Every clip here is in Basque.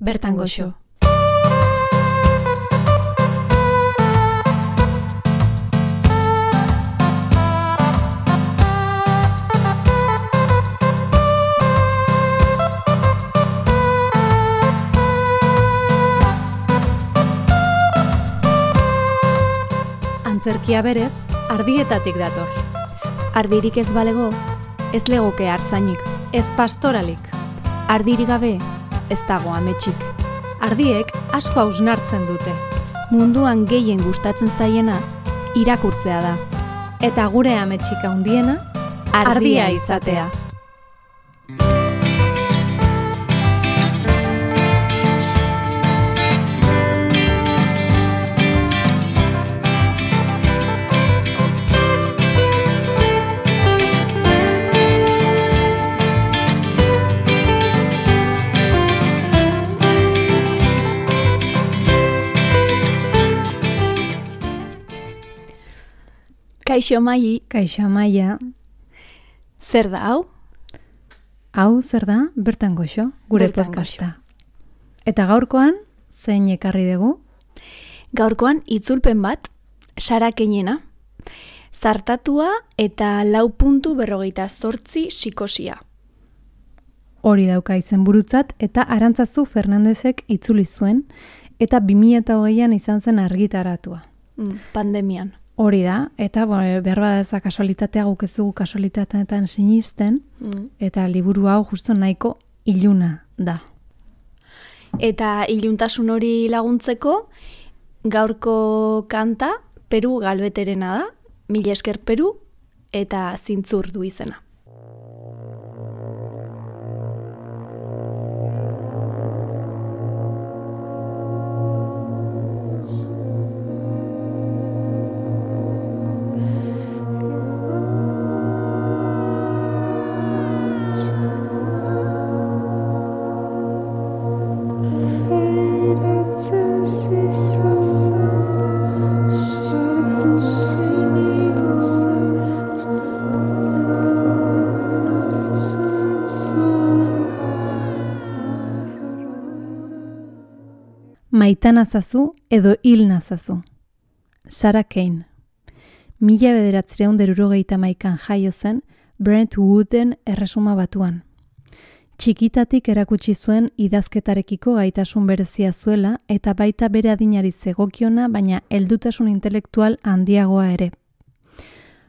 bertan goxo. Antzerkia berez, ardietatik dator. Ardirik ez balego, ez legoke hartzainik. Ez pastoralik. Ardirik gabe, ez dago ametsik. Ardiek asko hausnartzen dute. Munduan gehien gustatzen zaiena, irakurtzea da. Eta gure ametsik handiena, ardia izatea. Kaixo Mai. Kaixo Amaia. Zer da hau? Hau zer da? Bertan goxo, gure Bertan podcasta. Eta gaurkoan, zein ekarri dugu? Gaurkoan itzulpen bat, Sara Keinena. Zartatua eta 4.48 psikosia. Hori dauka izenburutzat eta Arantzazu Fernandezek itzuli zuen eta 2008an izan zen argitaratua. Pandemian. Hori da, eta behar bada ez da kasualitatea, guk ez dugu kasualitateetan sinisten, eta liburu hau justo nahiko iluna da. Eta iluntasun hori laguntzeko, gaurko kanta Peru Galbeterena da, mila esker Peru, eta zintzur du izena. Maita nazazu edo hil nazazu. Sara Kein. 1971an jaio zen Brentwooden Erresuma Batuan. Txikitatik erakutsi zuen idazketarekiko gaitasun berezia zuela eta baita bere adinari zegokiona, baina heldutasun intelektual handiagoa ere.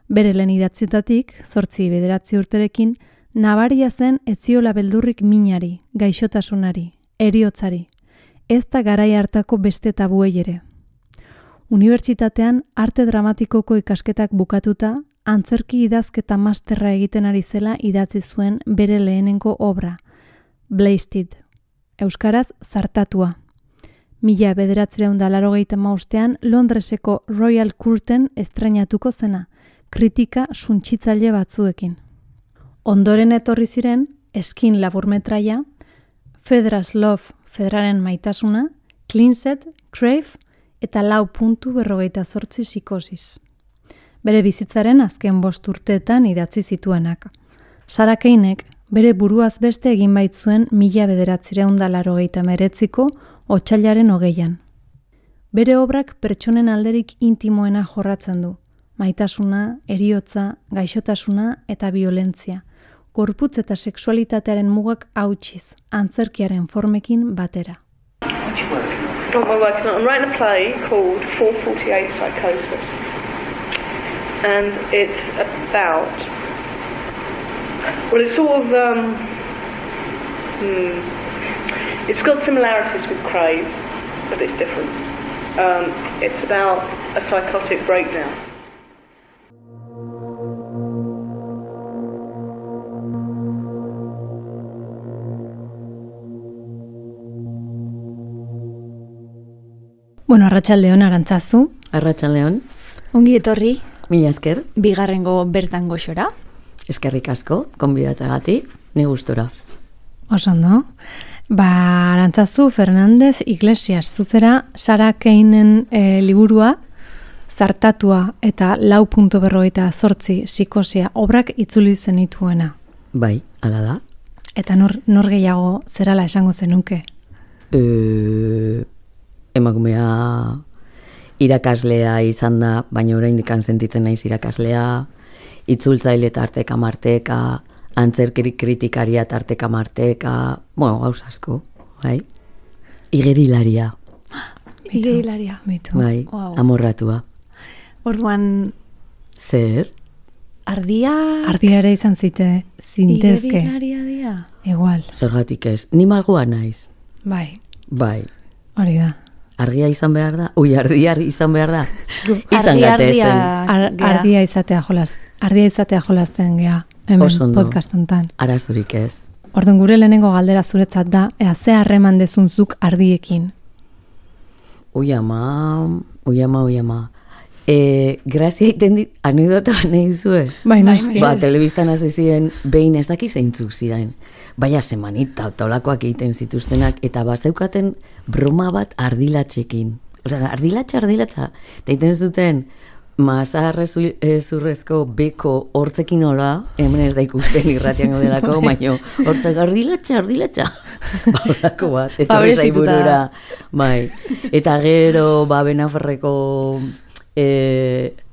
Bere lehen idatzitatik, 8-9 urterekin, nabaria zen ez ziola beldurrik minari, gaixotasunari, heriotzari. Ez da garai hartako beste tabuei ere. Unibertsitatean arte dramatikoko ikasketak bukatuta, antzerki idazketa masterra egiten ari zela idatzi zuen bere lehenengo obra, Blasted, euskaraz zartatua. 1985an Londreseko Royal Courten estreinatuko zena, kritika suntsitzaile batzuekin. Ondoren etorri ziren Eskin laburmetraia, Fedra's Love, Fedraren maitasuna, Cleansed, Crave eta 4.48 psikosis. Bere bizitzaren azken 5 urteetan idatzi zituenak. Sara Keinek bere buruaz beste egin baitzuen 1989ko otsailaren 20an. Bere obrak pertsonen alderik intimoena jorratzen du. Maitasuna, heriotza, gaixotasuna eta violentzia. Gorputz eta sexualitatearen mugak hautsiz, antzerkiaren formekin batera. I'm working on writing a play called 448 Psychosis, and it's about, well, it's sort of, it's got similarities with Crave, but it's different. It's about a psychotic breakdown. Bueno, arratsaldeon Arantzazu. Arratsaldeon. Ongi etorri. Mila esker. Bigarrengo bertan goxora. Eskerrik asko, konbidatzagatik, ni gustora. Oso ondo. Arantzazu Fernandez Iglesias, zuzera Sara Keinen liburua, zartatua eta 4.48 psikosia obrak itzuli zenituena. Bai, hala da. Eta nor gehiago zerala esango zenuke? Emakumea irakaslea izan da, baina oraindik sentitzen naiz irakaslea, itzultzaile tarteka marteka, antzerkiri kritikaria tarteka marteka, bueno, gauz asko, bai? Igerilaria. Igerilaria. Bai, amorratua. Orduan, zer? ardia Ardiare izan zintezke. igerilaria dia. Igual. Zergatik ez, ni malgua naiz. Bai, Bai. hori da. Argia izan behar da? Ardia izan behar da? Izan gate zen. Ardia izatea jolasten gea, hemen podcast hontan. Arazorik ez. Orduan gure lehenengo galdera zuretzat da, ea ze harreman dezunzuk ardiekin. Ui ama. Grazia iten dit, anekdota nahi zue? Bai, noski. Telebistan hasi ziren, behin ez daki zeintzuk ziren. Baina semanita, tolakoak egiten zituztenak, eta bazeukaten broma bat ardilatxekin. Osea, ardilatxa. Eta egiten zuten, mazarrezurrezko beko hortzekin hola, hemen ez da ikusten irratian gaudelako, baina hortzak ardilatxa. Baurako bat, ez da burura. Bai. Eta gero, Benaferreko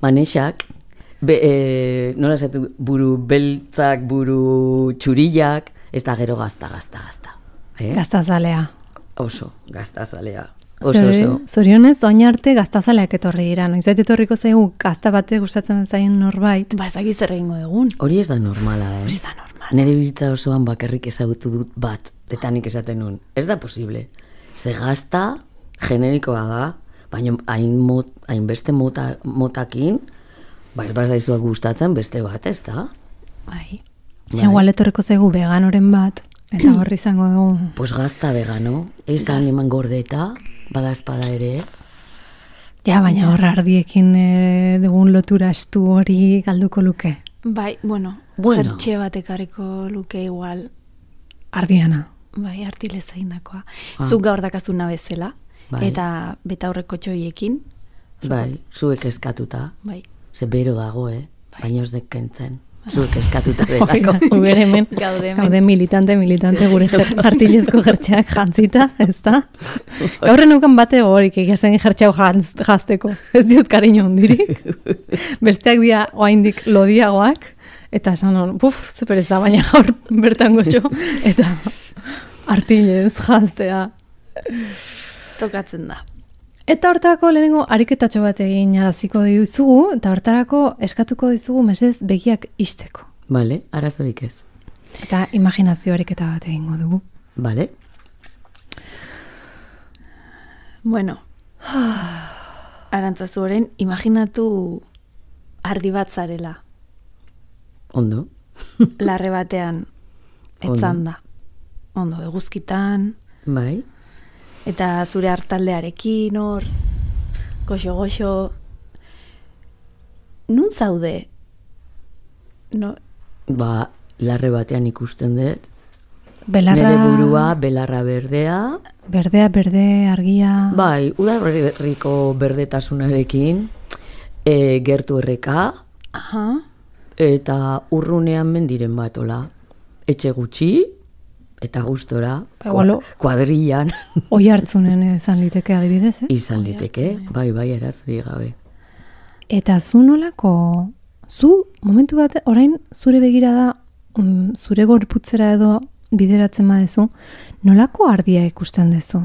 manexak, nola esatu, buru beltzak, buru txurillak, ez da gero gazta. Gaztazalea. Oso, gaztazalea. Oso. Zorionez, oin arte gaztazaleak etorri dira. Noizoet etorriko zaigu gazta batek gustatzen zaien norbait. Ba, ezak zer egingo egun. Hori ez da normala, Hori ez da normala. Nere bizitza osoan bakarrik ezagutu dut bat, eta nik esaten nun. Ez da posible. Ze gazta generikoa da, baina hainbeste motakin, ez bazaizua gustatzen beste bat, ez da? Bai. Igual etorriko zaigu veganoren bat, eta horri izango dugu. Pues gazta vegano, esan eman gordeta, bada espada ere. Ja, baina horra ardiekin dugun lotura estu hori galduko luke. Bai, jertxe bat ekarriko luke igual. Ardiana. Bai, artileza indakoa. Zuk gaur dakazuna bezala, eta betaurreko txoiekin. Bai, zuek eskatuta. Bai. Ze bero dago, baina ez dekentzen. Zuek eskatuta delako. Gure hemen, gaude militante gure artilezko jertxeak jantzita, ez da? Gaurren nukan bate gogorik egiasen jertxeau jazteko. Ez diot kariño hundirik. Besteak dia oaindik lodiagoak, eta esan hon, ze pereza, baina gaur bertan goxo, eta artilez jaztea. Tokatzen da. Eta hortarako lehenengo ariketatxo bat egin araziko dizugu, eta hortarako eskatuko dizugu mesez begiak isteko. Bale, arazorik ez. Eta imaginazio ariketa bat egingo dugu. Bale. Bueno, Arantzazu horren, imaginatu ardi bat zarela. Ondo. Larre batean etzanda. Ondo, eguzkitan. Bai. Eta zure hartaldearekin hor, goxo. Nun zaude? No. Ba, larre batean ikusten dut. Belarra... Nere burua, belarra berdea. Berdea, argia... Bai, udaberriko berdetasunarekin, gertu erreka, eta urrunean mendiren batola. Etxe gutxi, eta gustora, kuadrillan. Oi hartzunen izan liteke adibidez, ez? Izan liteke, bai, erazuri gabe. Eta zu nolako, momentu bat, orain zure begirada, zure gorputzera edo bideratzen badezu, nolako ardia ikusten dezu?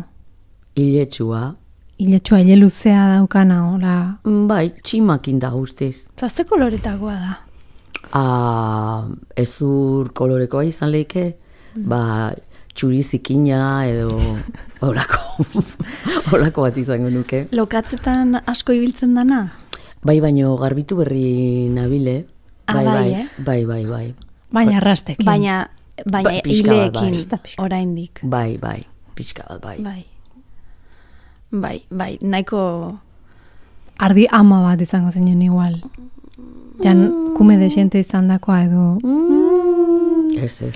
Iletsua, ile luzea daukana, hola? Bai, tximakin da guztiz. Ze koloretakoa da? Ezur kolorekoa izan leike, txuri zikina edo horako bat izango nuke. Lokatzetan asko ibiltzen dana? Bai, baino garbitu berri nabile. Bai. Baina arrastekin. Baina hileekin oraindik. Bai, pixka bat, bai. Bai, nahiko... Ardi ama bat izango zinen igual. Jan, kume de xente izan dakoa edo... Ez.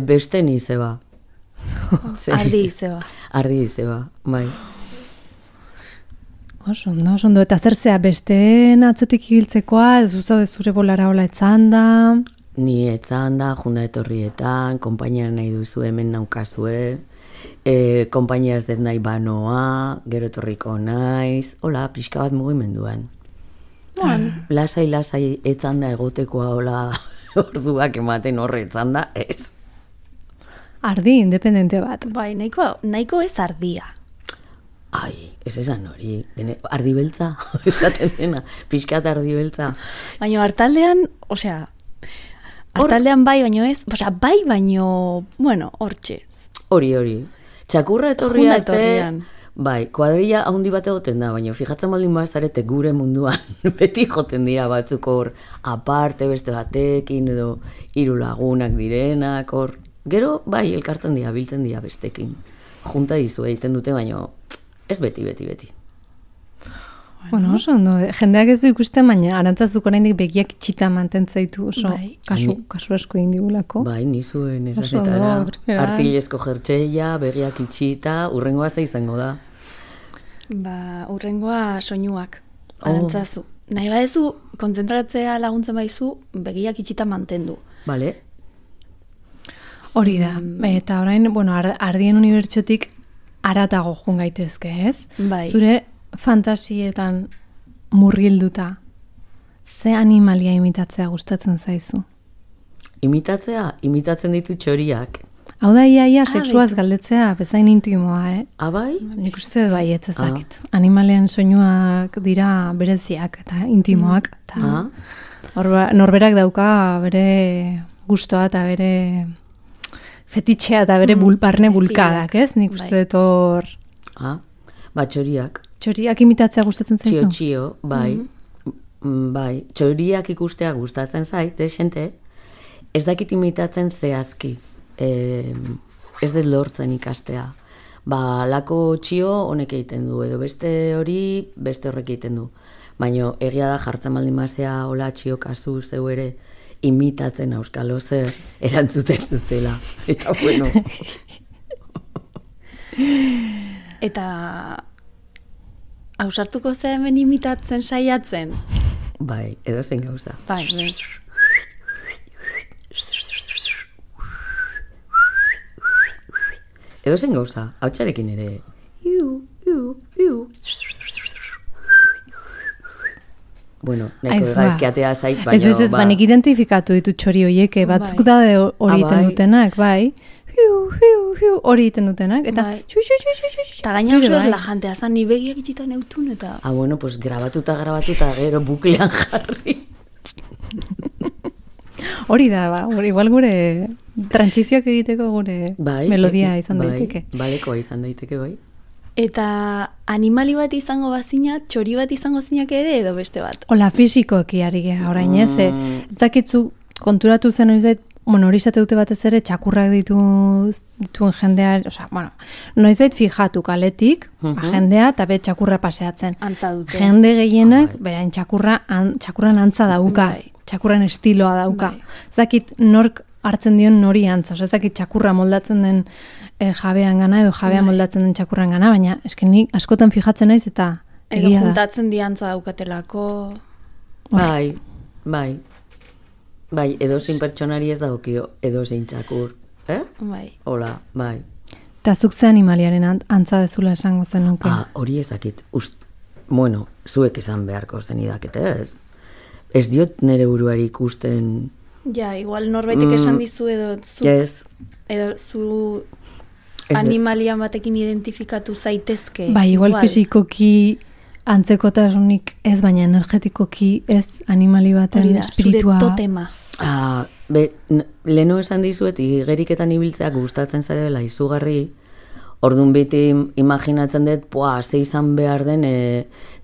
Beste ni zeba. Ardi izeba. Bai. Oso ondo. Eta zer zea, besteen atzetik ibiltzekoa, ez zuzaude zure bolara hola etzan da? Ni etzan da, junda etorrietan, konpainia nahi duzu hemen naukazue, konpainia ez dut nahi banoa, gero etorriko naiz, hola, pixka bat mugimenduan. Lasai etzan da egotekoa, hola, orduak ematen horre etzan da, ez. Ardi, independente bat. Bai, nahiko ez ardia. Ai, ez esan hori, ardi beltza, esaten dena, pixkat ardi beltza. Baina hartaldean, hartaldean bai, baino ez, bai, baino, bueno, hortxez. Hori, txakurra etorri arte, bai, kuadrilla handi bat egoten da, baina fijatzen baldin bazarete gure munduan, beti joten dira batzuk hor, aparte beste batekin, edo 3 lagunak direnak, hor, gero, bai, elkartzen dira, biltzen dira bestekin. Junta dizu egiten dute, baina ez beti. Bueno, oso ondo, jendeak ez du ikusten, baina Arantzazuk oraindik begiak itxita mantentzaitu, oso kasu asko egin digulako. Bai, nizuen esatetara, artilezko jertxeia, begiak itxita, urrengoa ze izango da? Urrengoa soinuak, Arantzazu. Nahi badezu, kontzentratzea laguntzen baizu, begiak itxita mantendu. Bale. Hori da, eta orain, ardien unibertsotik aratago jun gaitezke, ez? Bai. Zure fantasietan murgilduta, ze animalia imitatzea gustatzen zaizu? Imitatzen ditu txoriak. Hau da, ia sexuaz galdetzea, bezain intimoa, Bai? Nik uste bai ez ezakit. Animalean soinuak dira bereziak eta intimoak. Norberak dauka bere gustoa eta bere fetitxea eta bere barne bulkadak, ez? Nik uste dut hor... Txoriak. Txoriak imitatzea gustatzen zaizu? Txio, bai. Bai, txoriak ikustea gustatzen zait, xente, ez dakit imitatzen zehazki. Ez dut lortzen ikastea. Lako txio honek egiten du, edo beste hori, beste horrek egiten du. Baina egia da jartzen baldin mazea hola txio kasu zeu ere imitatzen auskalo zer erantzuten dutela. Eta bueno. Eta ausartuko ze hemen imitatzen saiatzen? Bai, edo zen gauza. Bai, edo zen gauza, hau txarekin ere. Bueno, neko gaizkiatea zait, baina... Ez, banik identifikatu ditut txori horiek, batzuk da hori egiten dutenak, bai. Hori egiten dutenak, eta... Eta gaina oso erlajantea zan, ni begiak itxitan eutun, eta... Bueno, pues grabatuta gero buklean jarri. Hori da, igual gure trantsizioak egiteko gure melodia izan daiteke. Balekoa izan daiteke, bai. Eta animali bat izango bazina, txori bat izango zinak ere edo beste bat? Hola, fisikoki ari geha, orain ez, ez dakitzu konturatu zen noizbait, hori izate dute batez ere, txakurrak dituen jendea, noizbait fijatu kaletik, jendea, eta be txakurra paseatzen. Antza dute. Jende gehienak, berain txakurran antza dauka, txakurran estiloa dauka. Ez dakit nork hartzen dion nori antza, ez dakit txakurra moldatzen den jabean gana, edo jabea moldatzen den txakurran gana, baina esken nik askotan fijatzen naiz eta edo juntatzen diantza daukatelako. Bai, edo zein pertsonari ez daukio, edo zein txakur. Bai. Hola, bai. Eta zuk ze animaliaren antza dezula esango zen nuke? Hori ez dakit. Bueno, zuek esan beharko zen idakete, ez? Ez diot nire buruari ikusten... Ja, igual norbaitek esan dizu edo zuk... Edo zu... animalian batekin identifikatu zaitezke. Bai, igual fisikoki antzekotasunik ez, baina energetikoki ez animali baten espiritua. Zure totema. Leno esan dizuet, igeriketan ibiltzea gustatzen zaidela izugarri, orduan beti imaginatzen dut, ze izan behar den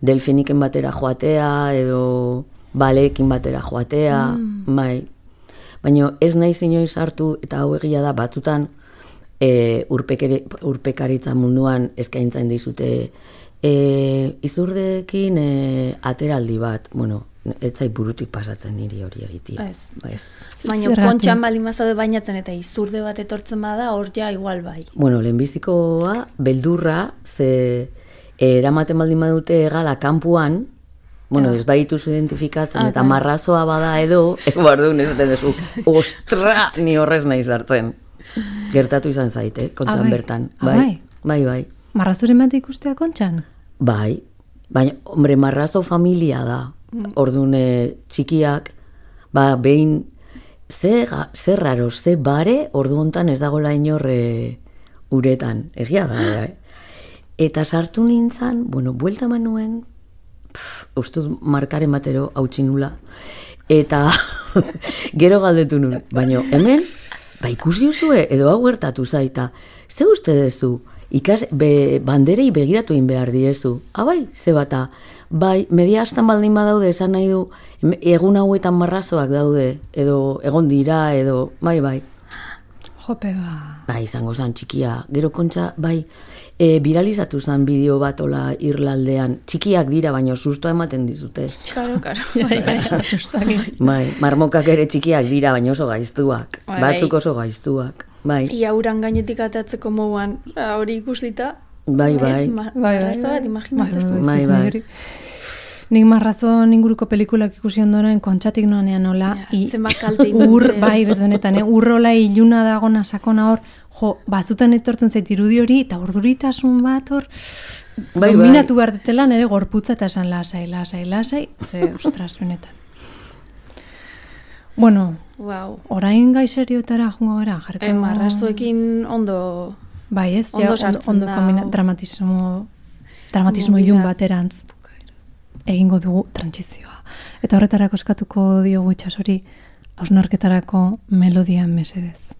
delfiniken batera joatea, edo baleekin batera joatea, bai. Baina ez nahi inoiz hartu, eta hau egia da, batzutan, urpekaritza munduan eskaintzen dizute izurdekin ateraldi bat, bueno, ez zait burutik pasatzen niri hori egitea. Baina kontxan baldin bazaude bainatzen eta izurde bat etortzen bada, hor ja igual bai. Bueno, lehenbizikoa, beldurra, ze eramaten baldin badute egala kanpuan, Bueno, ez baituzu identifikatzen, eta marrazoa bada edo, bardugun esaten duzu, ostra, ni horrez nahi sartzen. Gertatu izan zaite, kontxan bertan. Bai. Marrazoren bat ikustea kontxan? Bai, baina, hombre, marrazo familia da. Orduan txikiak, behin, ze raro, ze bare, ordu hontan ez dagoela inorre uretan, egia da, Eta sartu nintzen, buelta manuen, ustuz markaren batero hautsi nula, eta gero galdetu nun, baina hemen, ikusi duzue, edo hau gertatu zaita, ze uste dezu, banderei begiratu egin behar diezu, ze bata, media astan baldin badaude, esan nahi du, egun hauetan marrazoak daude, edo egon dira, edo, bai. Jope, izango zan txikia, gero kontxa, viralizatu zen bideo bat ola Irlaldean, txikiak dira, baina sustoa ematen dizute. Karo. Marmokak ere txikiak dira, baina oso gaiztuak, batzuk oso gaiztuak. Ia uran gainetik atatzeko moguan, hori ikustita. Bai. Marrazo bat, imaginatzen. Bai. Nik marrazon inguruko pelikulak ikusi ondoren kontxatik noanean hola. Zenbat kalte indute. Bezuenetan, urrola iluna dagona sakona hor, batzutan etortzen zait irudi hori, eta urduritasun bat hor, dominatu behar detela nire gorputza eta esan lasai, ze ostras benetan. Bueno, orain gai serioetara jungo gara, jarriko. Marrazoekin ondo... Bai ez, ondo dramatismo ilun baterantz egingo dugu trantsizioa. Eta horretarako eskatuko diogu Itsasori hausnarketarako melodia mesedez.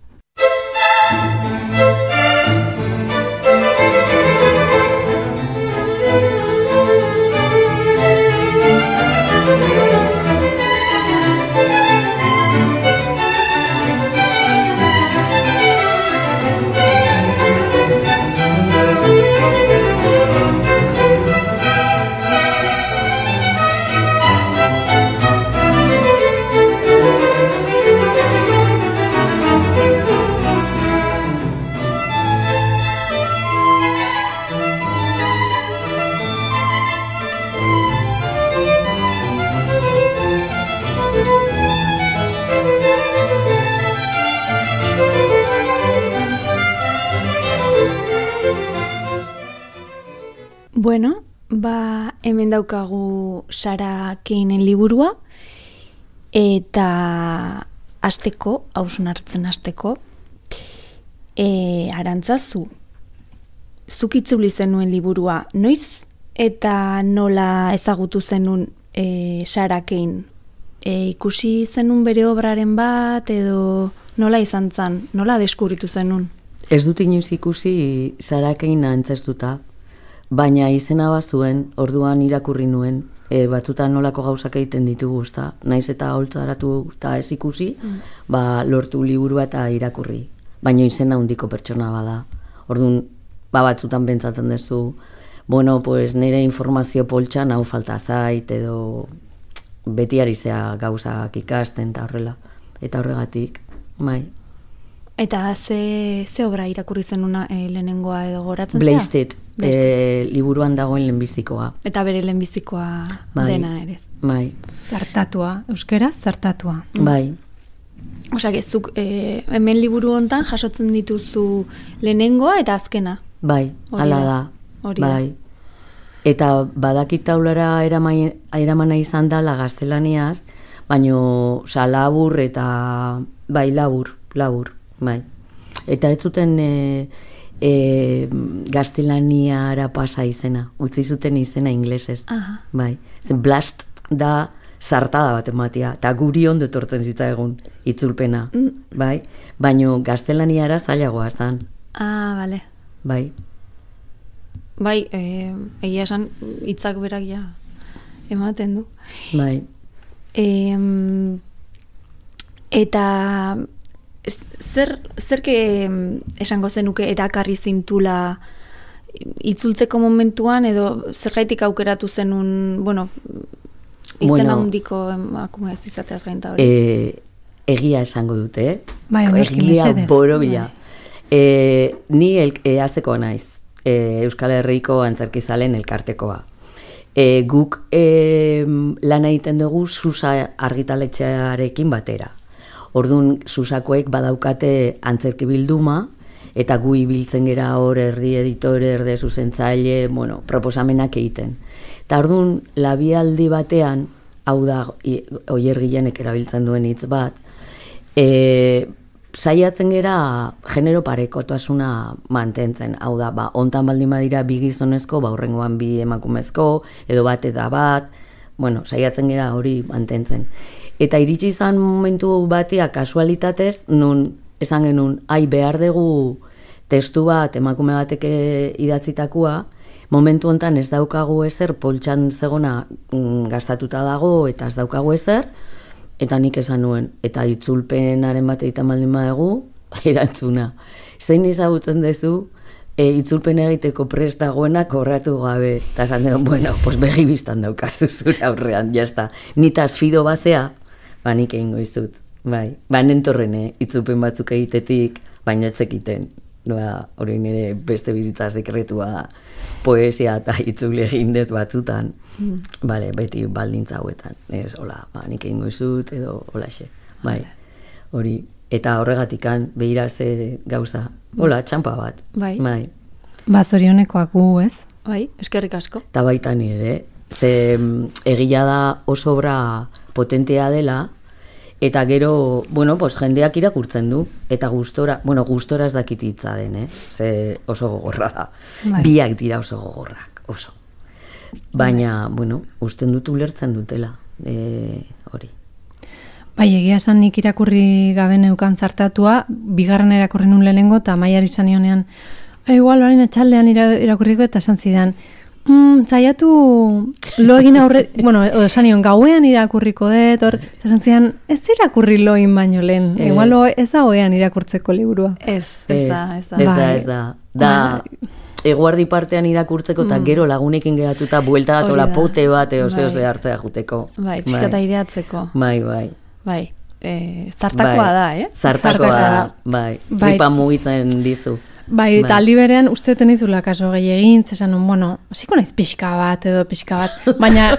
Bueno, hemen daukagu Sara Kane'en liburua, eta hausnartzen hasteko, Arantzazu, zuk itzuli zenuen liburua, noiz eta nola ezagutu zenun Sara Kane? Ikusi zenun bere obraren bat, edo nola izan zen, nola deskubritu zenun? Ez dut inoiz ikusi Sara Kane antzeztuta, baina izena bazuen, orduan irakurri nuen, batzutan nolako gauzak egiten ditugu, ezta? Naiz eta holtzaratu eta ez ikusi, lortu liburua eta irakurri. Baina izena handiko pertsona bada. Orduan, batzutan pentsatzen duzu, nire informazio poltsan hau falta zait, edo beti ari zea gauzak ikasten eta horrela. Eta horregatik, bai. Eta ze obra irakurri zenuna lehenengoa edo goratzen zea? Blasted, liburuan dagoen lehenbizikoa. Eta bere lehenbizikoa dena ere. Bai. Zartatua, euskeraz zartatua. Bai. Osa, gezuk, hemen liburu hontan jasotzen dituzu lehenengoa eta azkena. Bai, hala da. Bai. Eta badakit taulara eramana izan dela gaztelaniaz, baino labur eta labur. Bai. Eta ez zuten gaztelaniara pasa izena, utzi zuten izena inglesez. Bai. Zen blast da zartada bat ematia, eta guri ondo etortzen zitza egun itzulpena. Bai. Baino gaztelaniara zailagoa zan. Bale. Bai. Bai, egia esan hitzak berak ematen du. Bai. Eta zerke esango zenuke erakarri zintula itzultzeko momentuan, edo zergaitik aukeratu zenun, izena handiko emakume ez izateaz gainta hori? Egia esango dute, Bai, egia borobila. Ni azeko naiz, Euskal Herriko antzerkizalen elkartekoa. Guk lan egiten dugu Susa argitaletxearekin batera. Orduan, Susakoek badaukate antzerki bilduma, eta gu ibiltzen gera hor erdi editore, erdi zuzentzaile, proposamenak egiten. Eta orduan, labialdi batean, hau da, Oier Gilenek erabiltzen duen hitz bat, saiatzen gera genero parekotasuna mantentzen. Hau da, hontan baldin badira bi gizonezko, hurrengoan bi emakumezko, edo bat eta bat, saiatzen gera hori mantentzen. Eta iritsi izan momentu batia kasualitatez, nun esan genuen, behar dugu testu bat, emakume batek idatzitakoa, momentu hontan ez daukagu ezer, poltsan zegona gastatuta dago, eta ez daukagu ezer, eta nik esan nuen, eta itzulpenaren bat egiten baldin badugu, erantzuna. Zein ezagutzen duzu, itzulpen egiteko prest dagoenak horratu gabe, eta esan duen, begi biztan daukazu zure aurrean, jazta. Nitaz fido bazea, nik egingo izut. Nentorren, itzulpen batzuk egitetik, baina etzekiten. Hori nire beste bizitza sekretua da. Poesia eta itzuli egin dut batzutan. Beti baldintza hauetan. Ez, hola, nik egingo izut, edo holaxe. Hori. Eta horregatikan, behira ze gauza. Hola, txampa bat. Zorionekoak gu, ez? Eskerrik asko. Eta baita nire, ze egia da oso obra potentea dela, eta gero, jendeak irakurtzen du, eta gustora ez dakit hitza den, ze oso gogorra da. Biak dira oso gogorrak, oso. Baina, usten dut ulertzen dutela, hori. Egia esan nik irakurri gabe neukan zartatua, bigarren irakurri nun lehenengo, eta Maiari izan nionean, igual baren etxaldean irakurriko, eta esan zidan, zaiatu lo egin aurre, esan nion, gauean irakurriko dut, esan zidan, ez irakurri loin baino lehen, igual ez da hoean irakurtzeko liburua. Ez da. Da, eguardi partean irakurtzeko, eta gero lagunekin geratuta, buelta bat, ola pote bat, ose hartzea juteko. Pixkata ireatzeko. Zartakoa da, Zartakoa da, tripa mugitzen dizu. Eta aldi berean, uste tenizula kaso gehiagin, zesan, hasiko naiz pixka bat, baina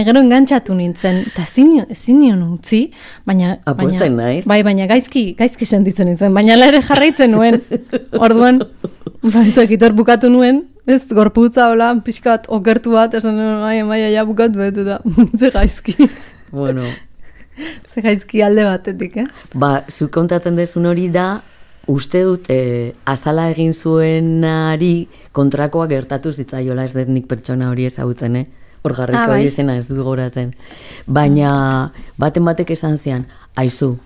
gero engantxatu nintzen, eta ezin nion utzi, baina gaizki sentitzen nintzen, baina ere jarraitzen nuen, orduan, ezakitor bukatu nuen, ez, gorputza hola, pixka bat, okertu bat, esan nuen, ja bukatu bet, eta ze gaizki. Ze gaizki alde batetik, zuk kontatzen dezun hori da, uste dut, azala egin zuenari kontrakoa gertatu zitzaiola, ez dut nik pertsona hori ezagutzen, hor jarriko izena ez dut goratzen. Baina, batek esan zian, aizu,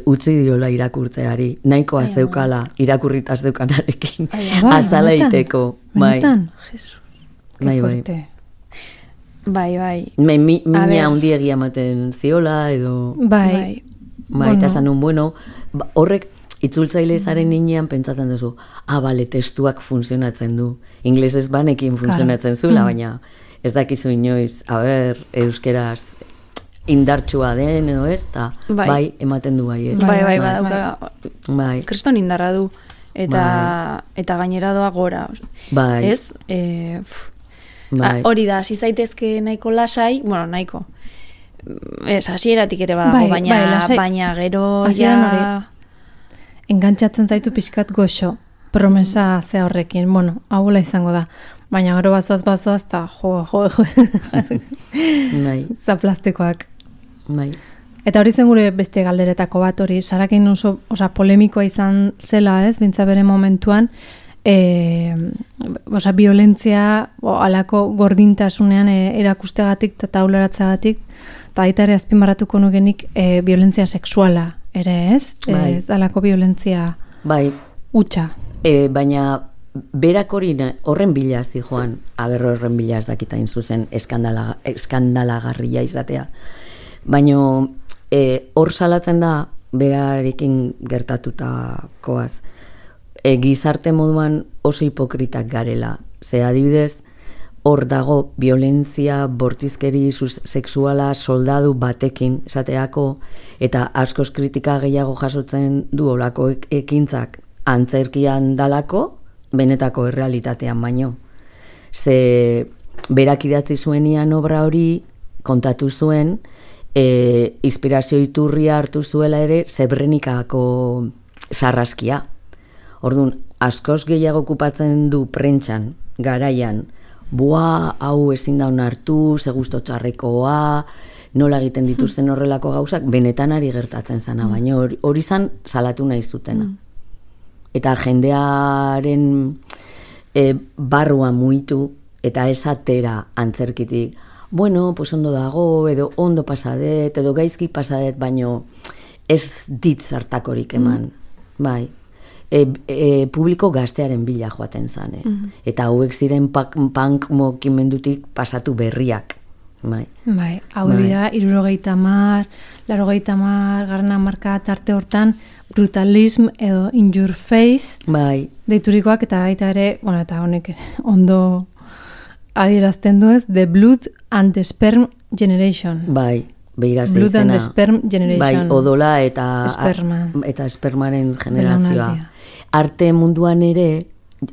utzi diola irakurtzeari, nahikoa zeukala irakurritaz zeukanarekin, azala egiteko. Benetan? Jesus, que fuerte. Mina hundiegia ematen ziola, edo... Eta esan nun, horrek, itzultzaile zaren ninean pentsatzen duzu, testuak funtzionatzen du. Inglesez banekin funtzionatzen zula, baina ez dakizu inoiz, euskeraz indartsua den edo ez, eta ematen du bai. Kriston indarra du, eta gainera doa gora. Ez? Hori da, hasi zaitezke nahiko lasai, nahiko. Ez, hasieratik ere badago, baina gero ja... Engantzatzen zaitu pixkat goxo, promesa ze horrekin, haula izango da, baina gero bazoaz, eta zaplastekoak. Eta hori zen gure beste galderetako bat hori, Sarakin oso polemikoa izan zela, ez, bintza bere momentuan, violentzia, alako gordintasunean erakustegatik eta taularatzegatik, eta baita ere azpimarratuko nukenik violentzia sexuala, ere ez? Ez alako violentzia utxa. Baina berak horren bila zijoan, horren bila ez dakitain zuzen eskandalagarria izatea. Baina hor salatzen da berarekin gertatutakoaz. Gizarte moduan oso hipokritak garela. Ze adibidez, hor dago violentzia, bortizkeri sexuala soldadu batekin esateako, eta askoz kritika gehiago jasotzen du olako ekintzak antzerkian dalako, benetako errealitatean baino. Ze berak idatzi zuenian obra hori kontatu zuen, inspirazio iturria hartu zuela ere Srebrenikako sarraskia. Orduan, askoz gehiago okupatzen du prentxan, garaian, hau ezin da onartu, ze gusto txarrekoa, nola egiten dituzten horrelako gauzak, benetan ari gertatzen zana, baina hori zan salatu nahi zutena. Eta jendearen barrua muitu, eta ez atera antzerkitik, bueno, pues ondo dago, edo ondo pasadet, edo gaizki pasadet, baino ez dit zartakorik eman, bai. Publiko gaztearen bila joaten zan, eta hauek ziren punk mokimendutik pasatu berriak, bai. Bai, hau dira, 70, 80, garren hamarka tarte hortan, brutalism edo in your face, bai. Deiturikoak, eta baita ere, bueno, eta honek ondo adierazten du ez, the blood and the sperm generation. Bai, behira zeizena. Blood and the sperm generation. Bai, odola eta espermaren generazioa. Arte munduan ere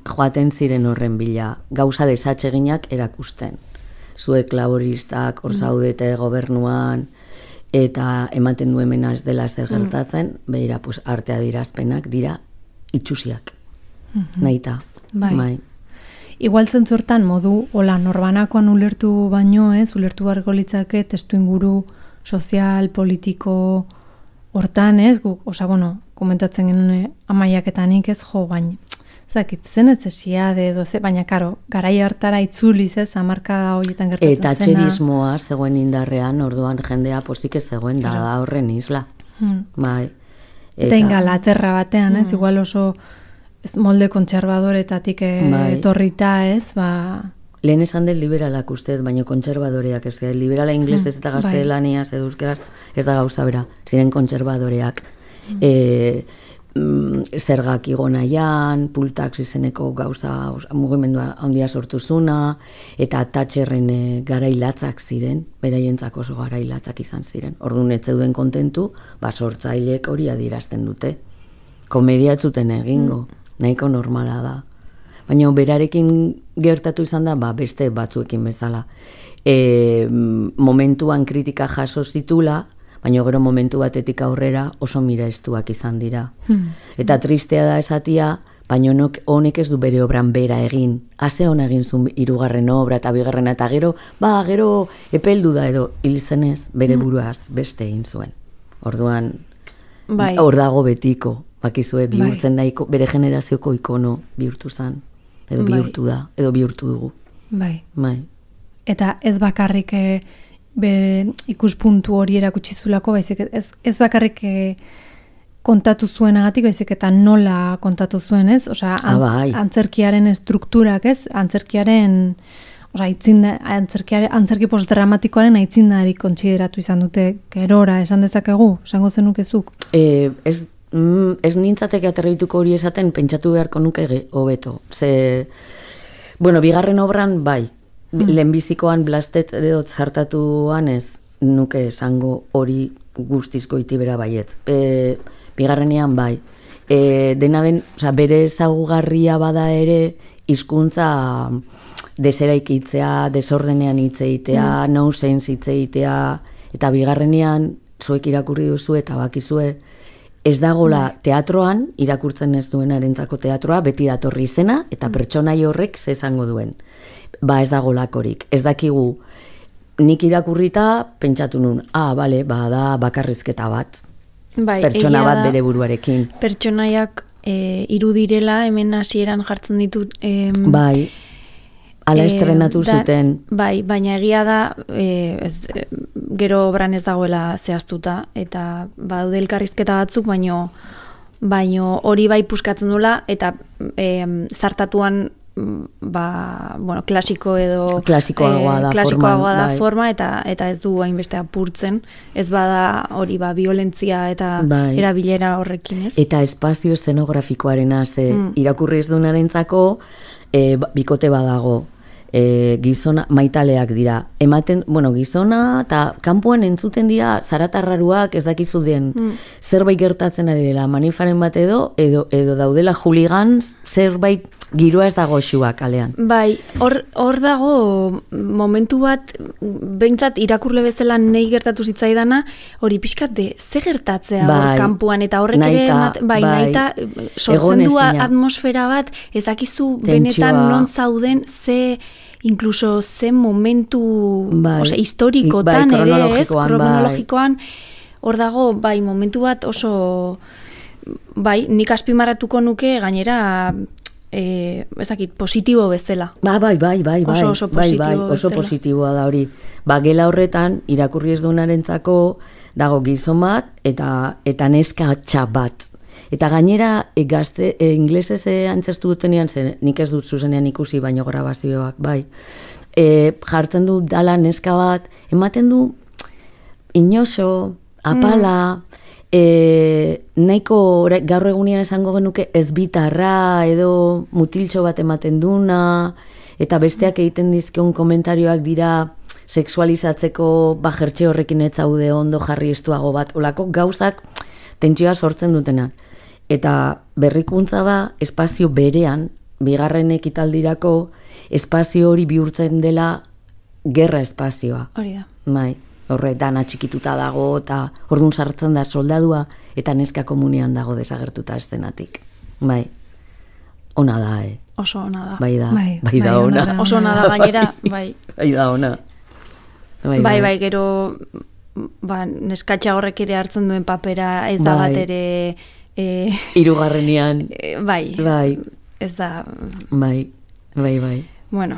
joaten ziren horren bila, gauza desatseginak erakusten. Zuek laboristak hor zaudete gobernuan, eta ematen du hemen ez dela zer gertatzen, behira, pues, arte adierazpenak dira itxusiak. Nahita. Bai. Igual zentzortan modu, hola, norbanakoan ulertu baino ez, ulertu barko litzake testu inguru sozial, politiko hortan ez, osa, bueno, komentatzen genuen amaiaketanik ez, baina, zakit, zen ez esiade edo, baina, karo, garai hartara itzuliz ez, hamarkada horietan gertatzen zena. Eta txerismoa zegoen indarrean, orduan jendea pozik ez zegoen da horren isla. Bai. Eta Ingalaterra batean ez, igual oso ez molde kontserbadoretatik etorrita ez, Lehen esan den liberalak usteet, baina kontserbadoreak ez da. Liberala inglesez eta gaztelaniaz edo euskeraz ez da gauza bera. Ziren kontserbadoreak. Zergak igonaian, pultax izeneko gauza mugimendua handia sortu zuna, eta Thatcherren garailatzak ziren, beraientzako oso garailatzak izan ziren. Orduan ez zeuden kontentu, sortzailek hori adierazten dute. Komedia ez zuten egingo, nahiko normala da. Baina berarekin gertatu izan da, beste batzuekin bezala. Momentuan kritika jaso zitula, baina gero momentu batetik aurrera oso miraztuak izan dira. Eta tristea da esatia, baina honek ez du bere obran bera egin. Haze hona egin zuen 3. obra eta 2. eta gero epeldu da edo hil zenez bere buruaz beste egin zuen. Orduan, hor dago betiko, bakizue bihurtzen da bere generazioko ikono bihurtu zen. Edo bihurtu da, edo bihurtu dugu. Bai. Eta ez bakarrik ikuspuntu hori erakutsi zulako, baizik ez bakarrik kontatu zuenagatik, baizik eta nola kontatu zuen, ez? Osea, antzerkiaren estrukturak, ez? Antzerkiaren, antzerki postdramatikoaren aitzindari kontsideratu izan dute gerora, esan dezakegu, esango zenukezuk? Ez nintzateke aterrituko hori esaten, pentsatu beharko nuke hobeto. Bueno, 2. obran, bai. Lehenbizikoan blastet edo zartatuan ez nuke esango hori guztiz goitibera baietz. 2. bai. Dena den, bere ezagugarria bada ere, hizkuntza deseraikitzea, desordenean hitzeitea, nonsense hitzeitea, eta 2. zuek irakurri duzu eta bakizue, ez dagola teatroan, irakurtzen ez duenarentzako teatroa, beti datorri izena, eta pertsonai horrek ze esango duen. Ez dagolakorik. Ez dakigu, nik irakurrita, pentsatu nun, da bakarrizketa bat. Pertsona bat bere buruarekin. Pertsonaiak irudirela, hemen hasieran jartzen ditut. Ala estrenatu zuten. Baina egia da, gero obran ez dagoela zehaztuta, eta daude elkarrizketa batzuk, baino hori bai puskatzen dula, eta zartatuan klasiko edo klasikoagoa da forma, eta ez du hainbeste apurtzen, ez bada hori violentzia eta erabilera horrekin, ez? Eta espazio eszenografikoarena irakurri ez duenarentzako bikote badago. gizona maitaleak dira. Ematen, gizona eta kanpoan entzuten dira zaratarraruak ez dakizu den zerbait gertatzen ari dela manifaren bat edo daudela hooligans zerbait giroa ez dago xua kalean. Bai, hor dago momentu bat, behintzat irakurle bezala nahi gertatu zitzaidana, hori pixkat de, ze gertatzea hor kanpoan, eta horrek ere, nahita sortzen du atmosfera bat, ezakizu benetan non zauden, ze incluso ze momentu historikotan ere, kronologikoan, hor dago, momentu bat oso, nik azpimarratuko nuke gainera, ezakit, positibo bezala. Oso positiboa da hori. Gela horretan, irakurri ez duenarentzako dago gizon bat eta neska txap bat. Eta gainera, gazte, inglesez antzestu dutenean, nik ez dut zuzenean ikusi, baino grabazioak, jartzen du dala neska bat, ematen du inoso, apala, nahiko gaur egunean esango genuke ez bitarra edo mutiltxo bat ematen duna eta besteak egiten dizkion komentarioak dira sexualizatzeko jertxe horrekin ez zaude ondo jarri estuago bat, olako gauzak tentsioa sortzen dutenak. Eta berrikuntza espazio berean, bigarren ekitaldirako espazio hori bihurtzen dela gerra espazioa. Hori da. Horretan atxikituta dago eta orduan sartzen da soldadua eta neska komunean dago desagertuta eszenatik. Ona da, Oso ona da. Bai da ona. Oso ona da gainera, bai. Bai da ona. Bai, gero neskatxa horrek ere hartzen duen papera ez da bat ere... Hirugarrenean. Bai. Ez da... Bai. Bueno.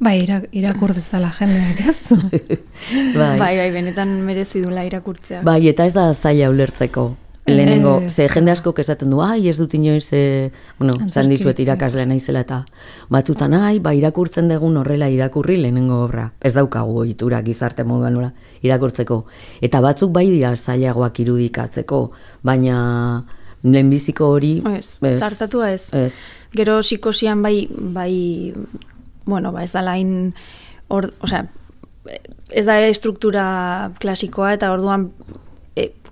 Irakur dezala jendeak, ez? Bai, benetan merezi dula irakurtzea. Bai, eta ez da zaila ulertzeko. Lehenengo, ze jende askok esaten du, ez dut inoiz, zan dizuet irakaslea naizela eta batutan, irakurtzen dugun horrela irakurri lehenengo obra. Ez daukagu ohitura gizarte moduan irakurtzeko. Eta batzuk bai dira zailagoak irudikatzeko, baina lehenbiziko hori... Zartatua ez. Gero psikosian bai, ez da lain, ez da estruktura klasikoa eta orduan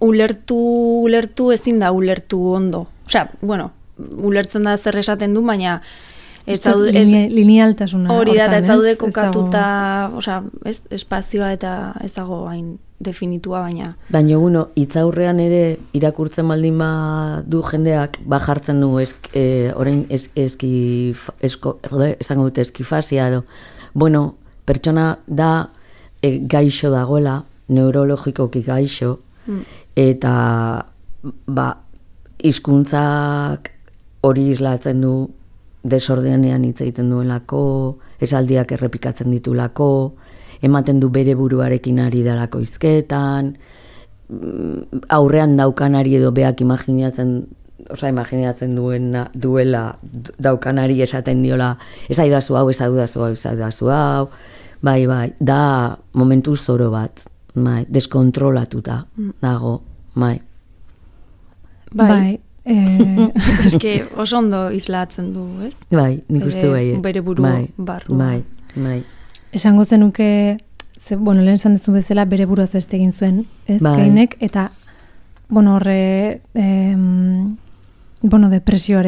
ulertu ezin da ulertu ondo. Ulertzen da zer esaten du, baina linealtasuna. Hori da, ez zaude kokatuta, espazioa eta ez dago hain definitua, baina... Baina, hitzaurrean ere irakurtzen baldin du jendeak, jartzen du orain esango dute eskifasia edo. Pertsona da gaixo dagoela, neurologikoki gaixo, eta hizkuntzak hori islatzen du desordenean hitz egiten duelako, esaldiak errepikatzen ditulako, ematen du bere buruarekin ari dalako hizketan, aurrean daukanari edo beak imaginatzen duela daukanari esaten diola, ez aidazu hau, bai, da momentu zoro bat, deskontrolatuta dago, bai. Eske oso ondo islatzen du, ez? Bai, nik uste bai. Bere buru barru. Bai. Esango zenuke, lehen esan dezu bezala bere buruaz beste egin zuen, ez? Kainek, eta, horre, depresioa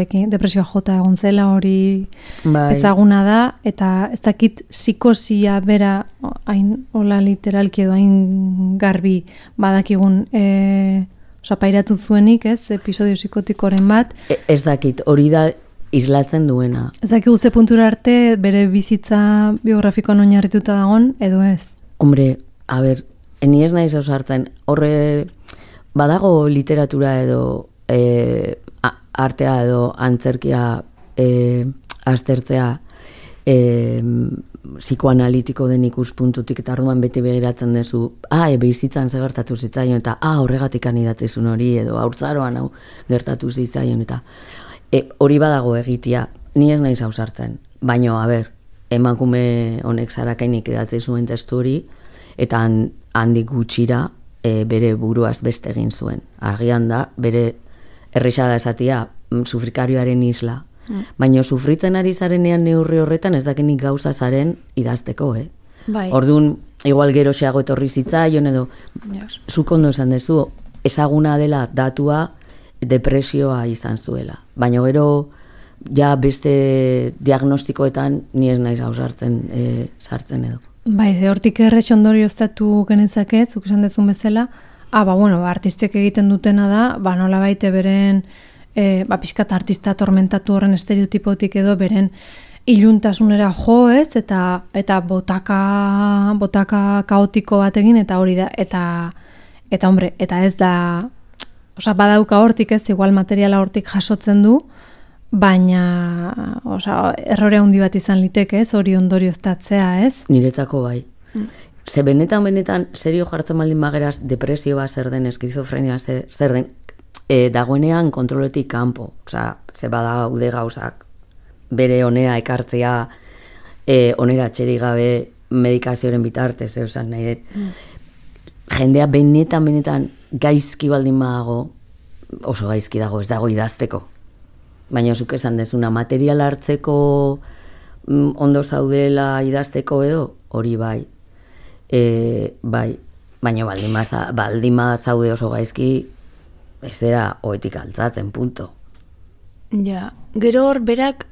jota egon zela hori ezaguna da, eta ez dakit psikosia bera, hain hola literalki edo hain garbi badakigun, pairatu zuenik, ez, episodio psikotikoren bat. Ez dakit, hori da islatzen duena. Ez dakit guze puntura arte bere bizitza biografikoan oinarrituta dagon, edo ez? Hombre, ni ez naiz ausartzen, horre badago literatura edo artea edo antzerkia aztertzea psikoanalitiko den ikuspuntutik eta orduan beti begiratzen duzu, bizitzan ze gertatu zitzaion eta horregatik anidatzezun hori edo haurtzaroan hau gertatu zitzaion eta hori badago egitea, ni ez naiz ausartzen, baino, emakume honek Zarakainik idatzi zuen testu hori eta handik gutxira bere buruaz beste egin zuen. Argian da, bere erresa da esatia sufrikarioaren isla, Baina sufritzen ari zarenean neurri horretan ez dakinik gauza zaren idazteko, Bai. Orduan, igual geroxeago etorri zitzaion edo, Yes. zuk ondo esan dezu, ezaguna dela datua depresioa izan zuela. Baina gero, ja beste diagnostikoetan ni ez naiz ausartzen sartzen edo. Bai, ze hortik errex ondorioztatu genezake, zuk esan dezun bezala, artistek egiten dutena da, nola baite beren, pixkat artista tormentatu horren estereotipotik edo beren iluntasunera jo ez, eta botaka kaotiko bat egin, eta hori da, eta hombre, eta ez da, badauka hortik ez, igual materiala hortik jasotzen du, baina, errore handi bat izan liteke ez, hori ondorioztatzea ez. Niretzako bai. Ze benetan, serio jartzen baldin bageraz, depresioa zer den, eskizofrenia zer den, dagoenean kontroletik kanpo. Ze badaude gauzak, bere onera ekartzea, onera txerik gabe medikazioaren bitartez, esan nahi dut. Jendea benetan gaizki baldin badago, oso gaizki dago, ez dago idazteko. Baina zuk esan dezuna, material hartzeko ondo zaudela idazteko edo, hori bai. Bai, baina baldin zaude oso gaizki, ez era oetik altzatzen, punto. Ja, gero hor berak,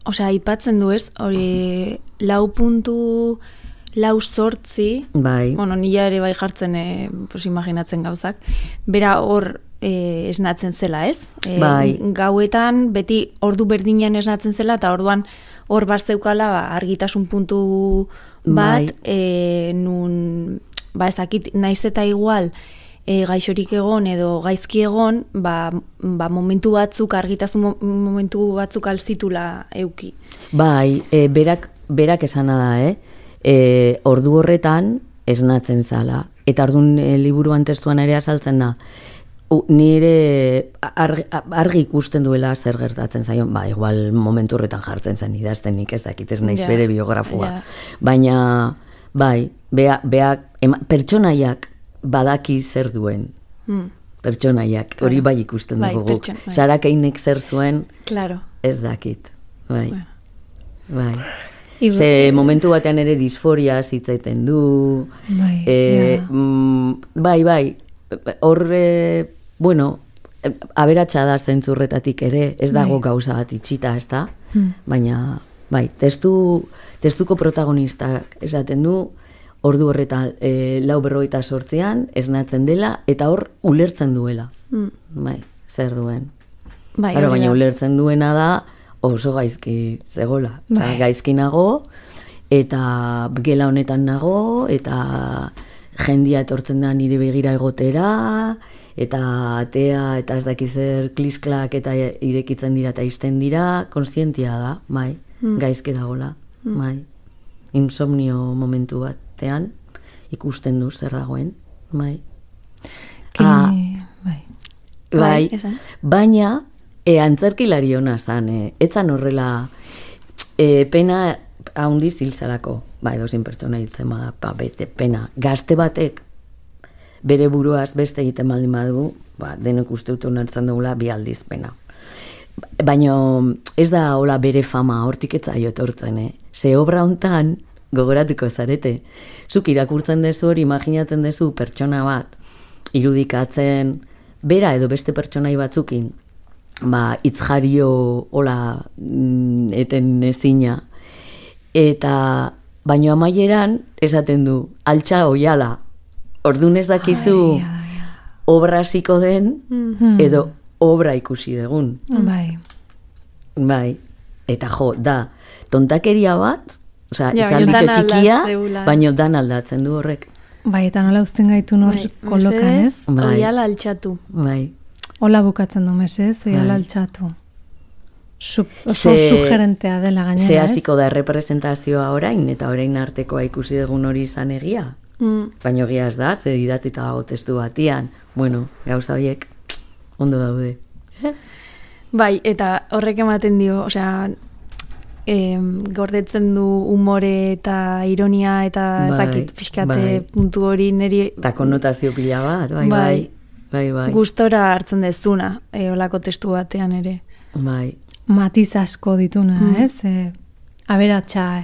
aipatzen du ez, hori 4.8 Bai. Nila ere bai jartzen, imaginatzen gauzak, bera hor esnatzen zela, ez? Bai. Gauetan, beti ordu berdinean esnatzen zela, eta orduan hor bat zeukala argitasun puntu bat, nun, ezakit, naiz eta igual, gaixorik egon edo gaizki egon, momentu batzuk, argitasun momentu batzuk alzitula euki. Bai, berak esana da, ordu horretan esnatzen zala. Eta orduan liburuan testuan ere azaltzen da, nire argi ikusten duela zer gertatzen zaion, igual momentu horretan jartzen zen idazten nik ez dakit ez naiz bere biografua. Baina, pertsonaiak badaki zer duen. Pertsonaiak, hori bai ikusten dugu guk. Sarakeinek zer zuen, ez dakit. Bai. Ze momentu batean ere disforia zitzaiten du. Bai. Hor, aberatsa da zentzurretatik ere, ez dago gauza bat itxita, ez da? Baina, bai, testuko protagonistak esaten du, ordu horretan 4:48 esnatzen dela, eta hor ulertzen duela. Bai, zer duen. Baina ulertzen duena da, oso gaizki zegoela. Gaizki nago, eta gela honetan nago, eta jendia etortzen da nire begira egotera, eta atea, eta ez dakiz zer klisklak eta irekitzen dira eta izten dira, konstientia da, bai, gaizki dagoela, bai. Insomnio momentu batean ikusten du zer dagoen, bai. Bai, baina antzerkilari hona zan, etzan horrela pena haundi ziltzalako, edozin pertsona hiltzen bada, bete pena. Gazte batek bere buruaz beste egiten baldin badu, denok uste dut onartzen dugula 2 aldiz pena. Baina ez da hola bere fama hortik etzaio etortzen, ze obra hontan gogoratuko zarete. Zuk irakurtzen dezu hori, imaginatzen dezu pertsona bat irudikatzen bera edo beste pertsonai batzukin, itzjario hola eten ezina, eta baino amaieran esaten du, altxa oiala, orduan ez dakizu obra hasiko den edo obra ikusi dugun. Bai, eta da, tontakeria bat, izan ditxo txikia, baino dan aldatzen du horrek. Bai, eta nola uzten gaitu hori kolokan, ez? Oiala altxatu. Bai. Hola bukatzen du, mesez, oiala altxatu. Oso sugerentea dela gainera, ez? Ze hasiko da representazioa orain, eta orain artekoa ikusi dugun hori izan egia. Baina egia ez da, ze idatzita dago testu batian. Bueno, gauza horiek ondo daude. Bai, eta horrek ematen dio, gordetzen du umore eta ironia eta ezakit pixkate puntu hori niri... Eta konnotazio pila bat, bai. Gustora hartzen dezuna, olako testu batean ere. Bai. matiz asko dituna, ez? Aberatsa.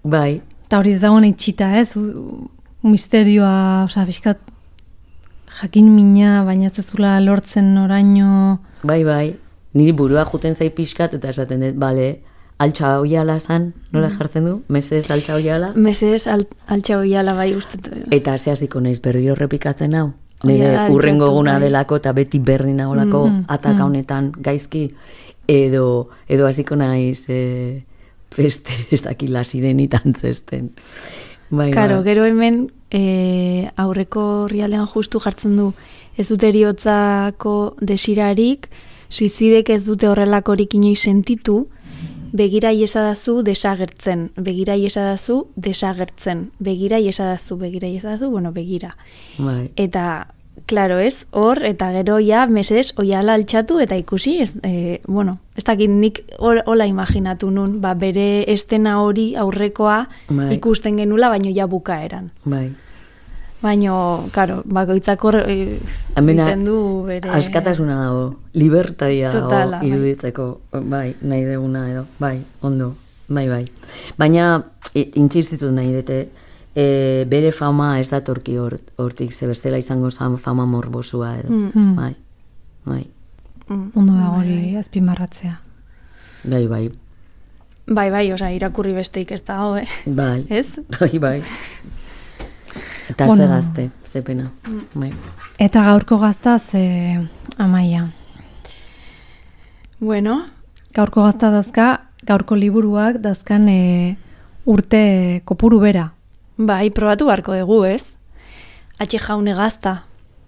Bai. Eta hori ez dagoen itxita, ez? Misterioa, osea, bizkat jakin mina, baina ez zezula lortzen oraino. Bai. Niri burua juten zai pixkat, eta esaten dut, bale, altxa oiala zan, nola jartzen du? Mesedez altxa oiala? Mesedez altxa oiala bai uste. Eta zehaziko naiz berriro repikatzen hau. Nire urrengo eguna delako eta beti berri nagolako ataka honetan gaizki. Edo hasiko naiz feste ez dakila sirenitan zesten. Karo, gero hemen aurreko rialean justu jartzen du ez dute eriotzako desirarik, suizidek ez dute horrelakorik inoiz sentitu, begira iesadazu desagertzen, begira iesadazu desagertzen, begira iesadazu, bueno, begira. Bai. Eta, klaro ez, hor, eta gero ja, mesedez, oiala altxatu, eta ikusi, bueno, ez dakit nik hola imaginatu nun, bere estena hori aurrekoa ikusten genula, baino ja bukaeran. Bai. Baino, karo, bakoitzako egiten du bere... Askatasuna dago, libertadia dago iruditzeko, bai, nahi deguna edo, bai, ondo, bai. Baina, intzistitu nahi dute, bere fama ez datorki hortik, ze bestela izango zan fama morbosua edo, bai. Ondo da hori azpimarratzea. Bai. Bai, oza, irakurri besteik ez dago, Bai. Ez? Bai. Eta ze gazte, ze pena. Eta gaurko gaztaz, Amaia. Bueno. Gaurko gazta dazka, gaurko liburuak dazkan urte kopuru bera. Bai, probatu barko dugu, ez? Atxe jaune gazta.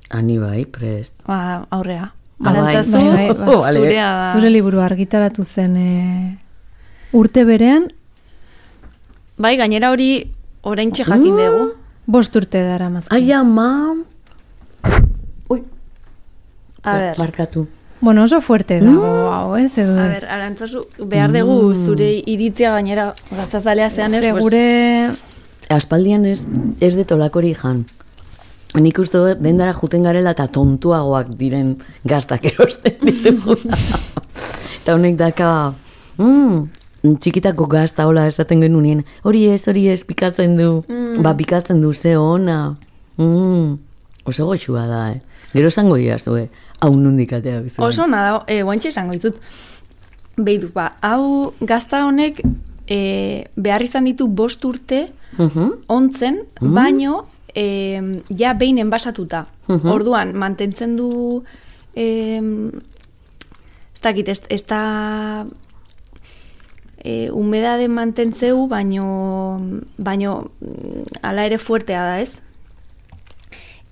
Ani bai, prest. Aurrea. Bai. Zurea da. Zure liburu argitaratu zen urte berean. Bai, gainera hori oraintxe jakin dugu. 5 urte dara mazkin. Ai, ama! Ui! A ber. Barkatu. Bueno, oso fuerte dago, hau, ez edo ez. A ber, arantzazu, behar dugu zure iritzia gainera gaztazalea zean ez. Gure... Aspaldian ez detolakori jan. Nik uste dendara juten garela eta tontuagoak diren gaztak erosten ditugu. Eta honek daka... txikitako gazta hola esaten genuen hori ez, pikatzen du pikatzen du ze ona oso goxua da, gero esango diazue hau nondik ateak zuen oso nada, guantxe esango ditut behitu, hau gazta honek behar izan ditu 5 urte ontzen, baino ja behin enbasatuta orduan, mantentzen du ez dakit, ez da humedade mantentzeu, baino ala ere fuertea da, ez?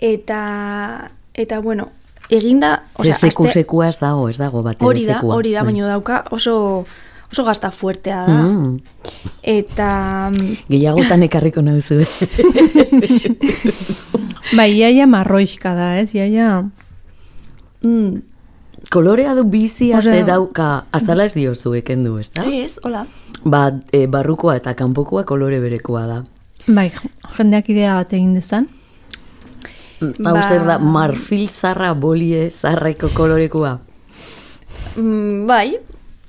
Eta bueno, eginda... Sekua ez dago bat ere sekua. Hori da, baino dauka oso gazta fuertea da. Eta... Gehiagotan ekarriko nahuzu. Bai, iaia marroixka da, ez? Iaia... Kolorea du bizia ze dauka, azala ez diozu ekendu, ez da? Ez, hola. Barrukoa eta kanpokoa kolore berekoa da. Bai, jendeak idea bat egin dezan. Hau zer da, marfil zarra, bolie zarraiko kolorekoa. Bai,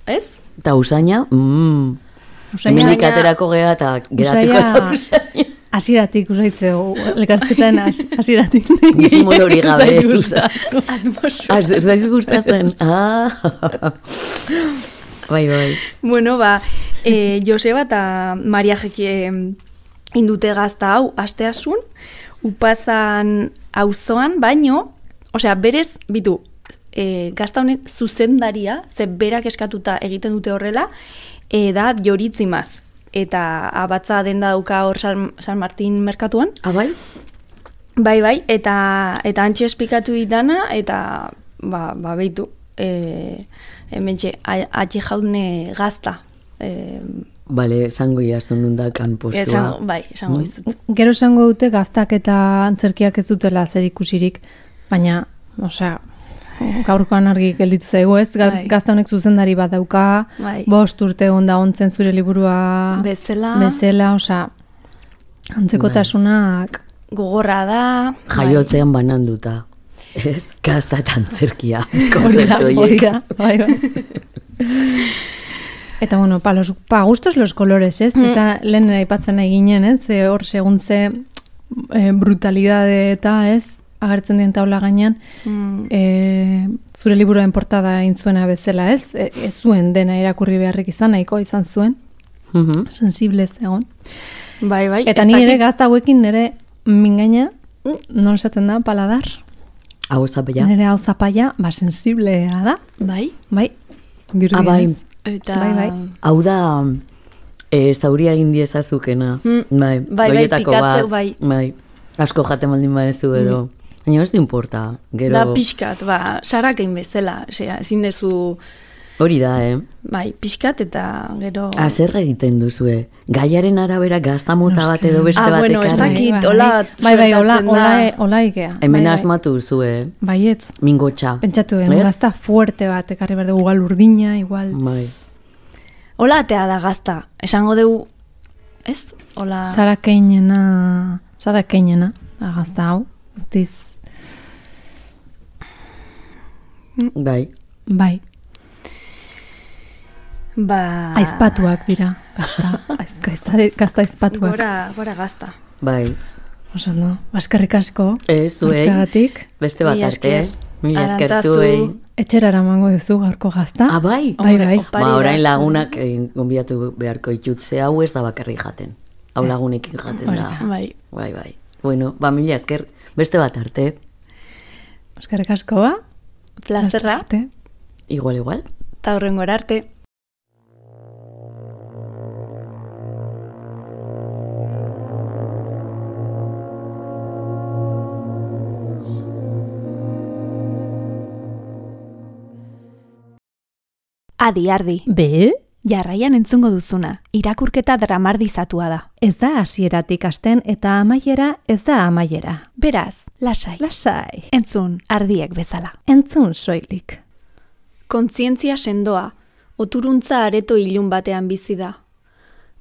ez? Eta usaina, minik aterako geha eta geratuko da usaina. Asiratik usaitzeo, elkartzetan asiratik. Gizimol hori gabe. Ez daiz gustatzen. Bai. Bueno, Joseba eta Maria Jeki indute gazta hau, asteasun, upazan auzoan, baino, osea, berez, bitu, gazta honen zuzendaria, ze berak eskatuta egiten dute horrela, da Joritzimaz. Eta abatza denda dauka hor San Martin merkatuan. Bai? Bai, eta antxe esplikatu ditana, eta behitu, hementxe, atxe jaune gazta. Bale, esango iazun nundakan postua. Bai, esango izut. Gero esango dute gaztak eta antzerkiak ez dutela zer ikusirik, baina, osea, gaurkoan argi gelditu zaigu, ez? Gazta honek zuzendari bat dauka, 5 urte onda ontzen zure liburua bezala, osea, antzekotasunak gogorra da. Jaiotzean bananduta. Ez, gazta eta antzerkia konzeptu horiek. Bai. Eta bueno, pa gustos los colores, ez? Esa lehen aipatzen nahi ginen, ez? Hor segun ze brutalidade eta, ez? Agertzen dien taula gainean, zure liburuen portada egin zuena bezala, ez? Ez zuen dena irakurri beharrik izan, nahiko izan zuen. Sensible egon. Bai. Eta ni ere gazta hauekin nire mingaina, non esaten da, paladar? Hau zapaia. Nire hau zapaia, sensiblea da. Bai. Bai. Bai. Eta... Bai. Hau da, zauria egin diezazukena. Bai, pikatzeu, bai. Asko jaten baldin badezu edo. Baina ez du importa, gero... Da pixkat, sarakein bezala, ezin dezu... Hori da, Bai, pixkat eta gero... Zer egiten duzue? Gaiaren arabera gazta mota bat edo beste batek. Bueno, ez dakit, hola... Bai, hola ikea. Hemen asmatu zuzue. Baietz. Mingotxa. Pentsatu gazta fuerte bat, ekarri behar dugu, igual urdina, igual... Bai. Hola atea da gazta, esango dugu... Ez? Hola... Sarakeinena, da gazta hau, guztiz... Bai. Aizpatuak dira, gazta aizpatuak. Gora gazta. Bai. Oso no, eskerrik asko. Zuei, beste bat arte. Mila esker zuei. Etxera eramango duzu gaurko gazta. Bai? Bai. Orain lagunak gonbidatu beharko itutze hau ez da bakarrik jaten. Hau lagunekin jaten da. Bai. Bueno, mila esker, beste bat arte. Eskerrik asko, ba? Plazerra. Igual. Ta horrengora arte. Adi. Be? Jarraian entzungo duzuna, irakurketa dramardizatua da. Ez da hasieratik hasten eta amaiera ez da amaiera. Beraz, lasai. Entzun, ardiek bezala. Entzun soilik. Kontzientzia sendoa, oturuntza areto ilun batean bizi da.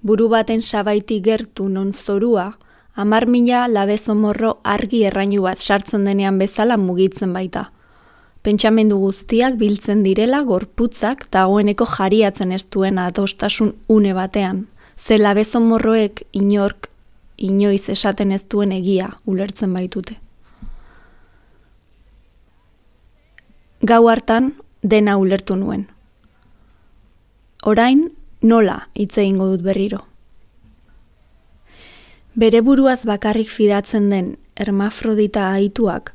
Buru baten sabaiti gertu non zorua, 10.000 labezomorro argi errainu bat sartzen denean bezala mugitzen baita. Pentsamendu guztiak biltzen direla gorputzak dagoeneko jariatzen ez duen adostasun une batean. Ze labezomorroek inoiz esaten ez duen egia ulertzen baitute. Gau hartan dena ulertu nuen. Orain nola hitz egingo dut berriro. Bere buruaz bakarrik fidatzen den hermafrodita aituak,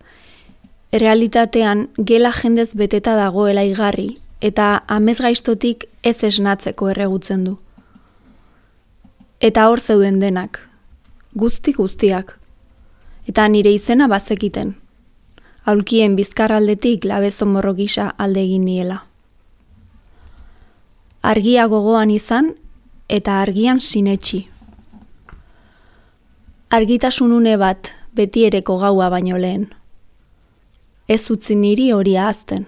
realitatean gela jendez beteta dagoela igarri eta amesgaiztotik ez esnatzeko erregutzen du. Eta hor zeuden denak, guztiak, eta nire izena bazekiten. Aulkien bizkarraldetik labezomorro gisa alde egin niela. Argia gogoan izan eta argian sinetsi. Argitasunune bat betiereko gaua baino lehen. Ez utzi niri hori ahazten.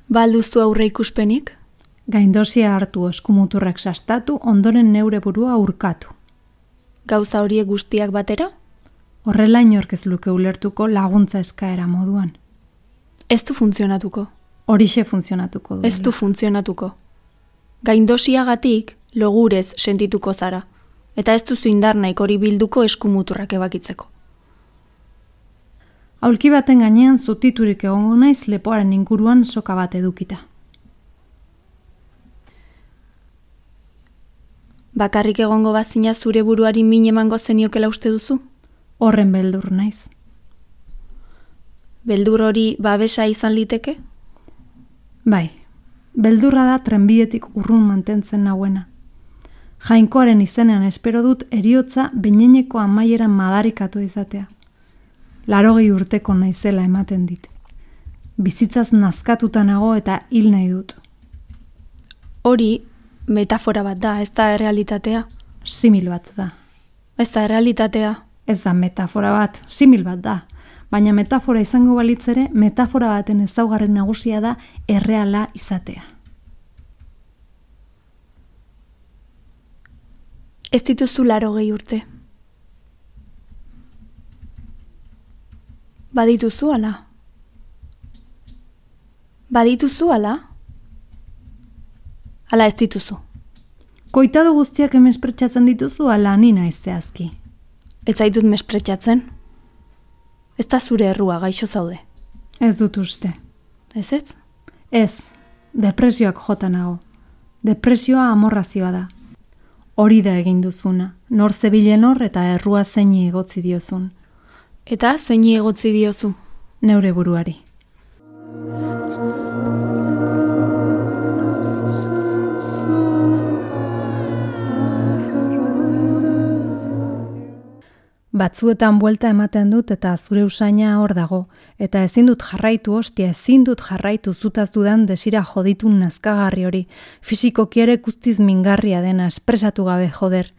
Balduzu aurre ikuspenik? Gaindosia hartu eskumuturrak sastatu, ondoren neure burua urkatu. Gauza horiek guztiak batera? Horrela inork ez luke ulertuko laguntza eskaera moduan. Ez du funtzionatuko. Horixe funtzionatuko du. Ez du funtzionatuko. Gaindosiagatik logurez sentituko zara. Eta ez duzu indar nahiko hori bilduko eskumuturrak ebakitzeko. Aulki baten gainean zutiturik egongo naiz lepoaren inguruan soka bat edukita. Bakarrik egongo bazina zure buruari min emango zeniokela uste duzu? Horren beldur naiz. Beldur hori babesa izan liteke? Bai, beldurra da trenbidetik urrun mantentzen nauena. Jainkoaren izenean espero dut eriotza behineneko amaieran madarikatu izatea. 80 urteko naizela ematen dit. Bizitzaz nazkatuta nago eta hil nahi dut. Hori metafora bat da, ez da errealitatea. Simil bat da. Ez da errealitatea. Ez da metafora bat, simil bat da. baina metafora izango balitz ere, metafora baten ezaugarri nagusia da erreala izatea. Ez dituzu 80 urte. Badituzu ala? Badituzu ala? Ala ez dituzu? Koitado guztiak emespretxatzen dituzu ala ni naiz zehazki? Ez zaitut mespretxatzen? Ez da zure errua, gaixo zaude. Ez dut uste. Ez ez? Ez, depresioak jota nago. Depresioa amorrazioa da. Hori da egin duzuna, nor zebilen hor eta errua zeini egotzi diozun. Eta zeini egotzi diozu? Neure buruari. Batzuetan buelta ematen dut eta zure usaina hor dago, eta ezin dut jarraitu hostia, ezin dut jarraitu zutaz dudan desira joditun nazkagarri hori, fisikoki ere guztiz mingarria dena espresatu gabe joder.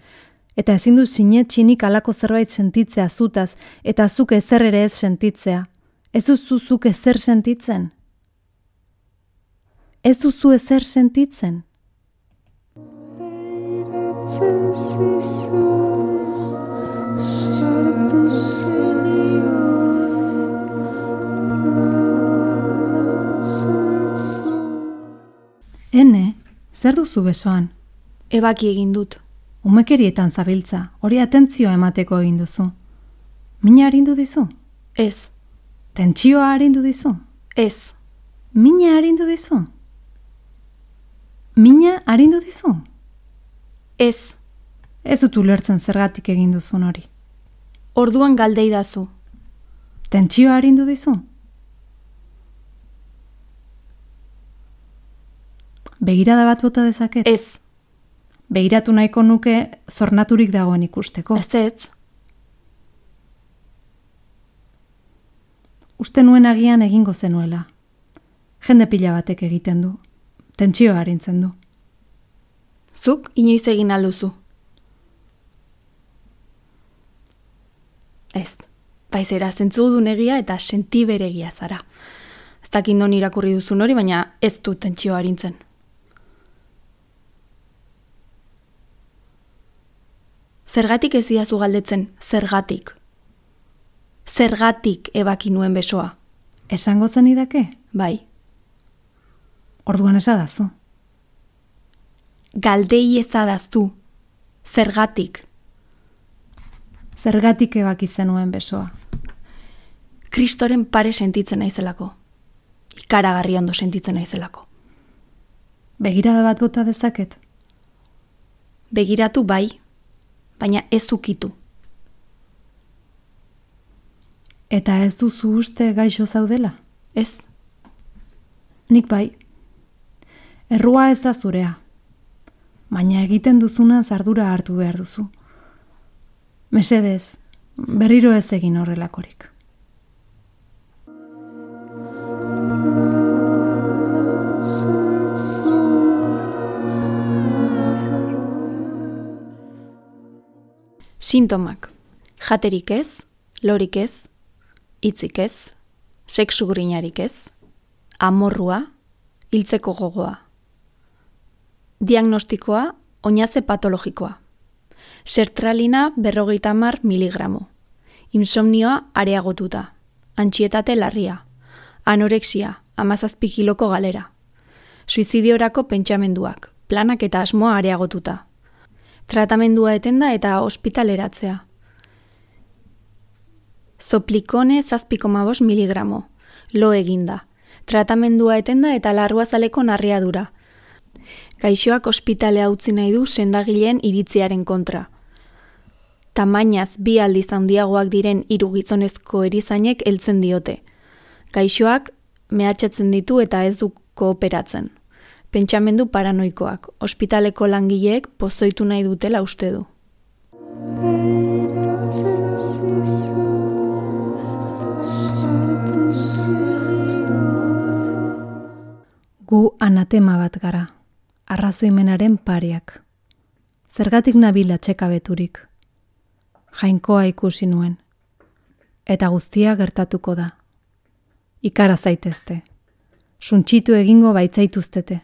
Eta ezin dut sinetxinik alako zerbait sentitzea zutaz, eta zuk ezer ere ez sentitzea. Ez duzu zuk ezer sentitzen? Ez duzu ezer sentitzen? Ene, zer duzu besoan? Ebaki egin dut. Umekerietan zabiltza, hori atentzioa emateko egin duzu. Mina arindu dizu? Ez. Tentsioa arindu dizu? Ez. Mina arindu dizu? Mina arindu dizu? Ez. Ez dut ulertzen zergatik egin duzun hori. Orduan galdeidazu. Tentsioa arindu dizu? Begirada bat bota dezaket? Ez. Begiratu nahiko nuke zornaturik dagoen ikusteko. Ez ez. Uste nuen agian egingo zenuela. Jende pila batek egiten du. Tentsioa arintzen du. Zuk inoiz egin alduzu. Ez. Baizera zentzudun egia eta sentiberegia zara. Ez dakit non irakurri duzun hori, baina ez du tentsioa arintzen. Zergatik ez diazu galdetzen, zergatik. Zergatik ebaki nuen besoa. Esango zenidake? Bai. Orduan esadazu. Galdei ezadaztu. Zergatik. Zergatik ebaki zenuen besoa. Kristoren pare sentitzen naizelako. Ikaragarri ondo sentitzen naizelako. Begirada bat bota dezaket? Begiratu bai, baina ez ukitu. Eta ez duzu uste gaixo zaudela? Ez. Nik bai. Errua ez da zurea. Baina egiten duzuna ardura hartu behar duzu. Mesedez, berriro ez egin horrelakorik. Sintomak. Jaterik ez, lorik ez, hitzik ez, sexu grinarik ez, amorrua, hiltzeko gogoa. Diagnostikoa, oinaze patologikoa. Sertralina 50 miligramo. Insomnioa areagotuta. Antsietate larria. Anorexia, 17 kiloko galera. Suizidiorako pentsamenduak, planak eta asmoa areagotuta. Tratamendua etenda eta ospitaleratzea. Zoplikone 7,5 miligramo. Lo eginda. Tratamendua etenda eta larruazaleko narriadura. Gaixoak ospitalea utzi nahi du sendagileen iritziaren kontra. Tamainaz 2 aldiz handiagoak diren 3 gizonezko erizainek heltzen diote. Gaixoak mehatxatzen ditu eta ez du kooperatzen. Pentsamendu paranoikoak, ospitaleko langileek pozoitu nahi dutela uste du. Gu anatema bat gara, arrazoimenaren pareak. Zergatik nabil atxekabeturik. Jainkoa ikusi nuen. eta guztia gertatuko da. Ikara zaitezte. Suntxitu egingo baitzaituztete.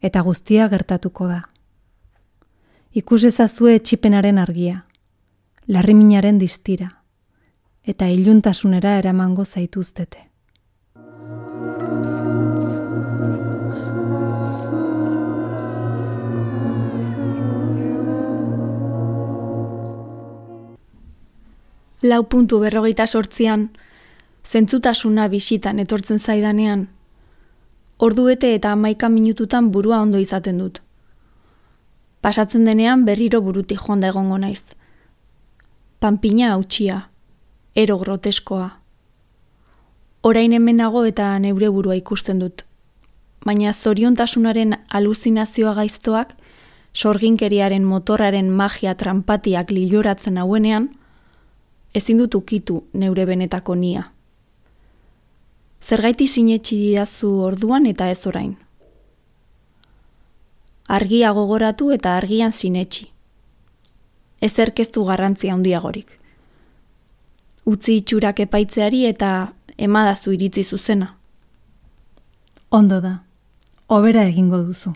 Eta guztia gertatuko da. Ikus ezazue etxipenaren argia, larriminaren distira, eta iluntasunera eramango zaituztete. Lau puntu 48an, zentzutasuna bisitan etortzen zaidanean, orduete eta 11 minututan burua ondo izaten dut. Pasatzen denean berriro burutik joan da egongo naiz. Panpina hautsia, ero groteskoa. Orain hemenago eta neure burua ikusten dut. Baina zoriontasunaren aluzinazioa gaiztoak, sorginkeriaren motorraren magia trampatiak liloratzen hauenean, ezin dut ukitu neure benetako nia. Zergaiti sinetsi didazu orduan eta ez orain. Argia gogoratu eta argian sinetsi. Ezerk ez du garrantzia handiagorik. Utzi itxurak epaitzeari eta emadazu iritzi zuzena. Ondo da, hobera egingo duzu.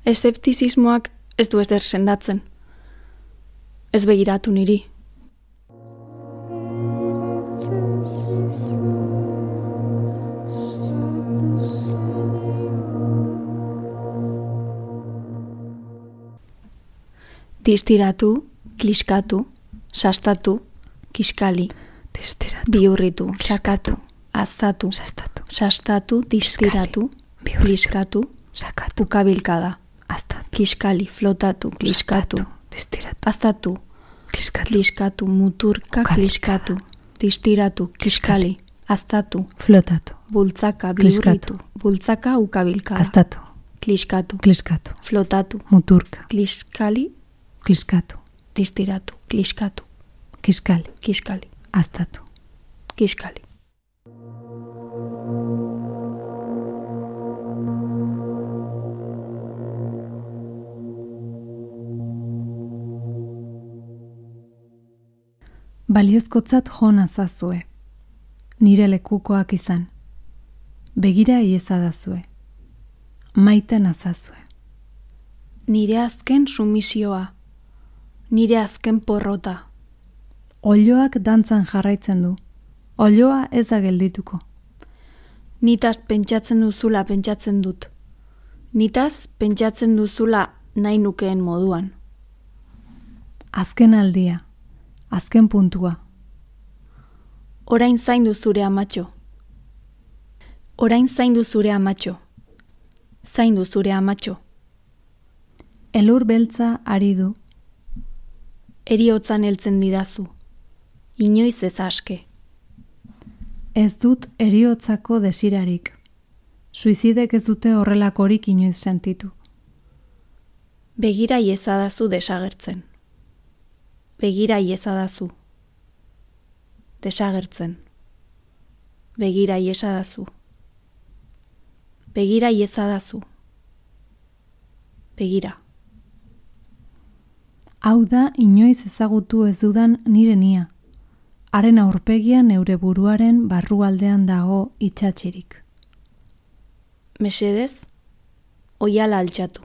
Eszeptizismoak ez du ezer sendatzen. Ez begiratu niri. Distiratu, kliskatu, sastatu, kiskali, bihurritu, sakatu, aztatu, sastatu, distiratu, kliskatu, ukabilkada, kiskali, flotatu, kliskatu, aztatu, kliskatu, muturka, kliskatu, distiratu, kiskali, aztatu, Flotatu, bultzaka, bihurritu, bultzaka, ukabilkada, aztatu, kliskatu, flotatu, muturka, kliskali, kliskatu, distiratu, kliskatu, kiskali, aztatu. kiskali. Baliozkotzat jo nazazue. Nire lekukoak izan. Begira iezadazue. Maite nazazue. Nire azken sumisioa. Nire azken porrota. Oiloak dantzan jarraitzen du. Oiloa ez da geldituko. Nitaz pentsatzen duzula pentsatzen dut. Nitaz pentsatzen duzula nahi nukeen moduan. Azken aldia. Azken puntua. Orain zaindu zure amatxo. Orain zaindu zure amatxo. Zaindu zure amatxo. Elur beltza ari du. Heriotzan heltzen didazu. Inoiz ez aske. Ez dut heriotzako desirarik. Suizidek ez dute horrelakorik inoiz sentitu. Begira iezadazu desagertzen. Begira iezadazu. Desagertzen. Begira iezadazu. Begira iezadazu. Begira. Hau da inoiz ezagutu ez dudan nire nia. Haren aurpegia neure buruaren barrualdean dago itxatxirik. Mesedez, oiala altxatu.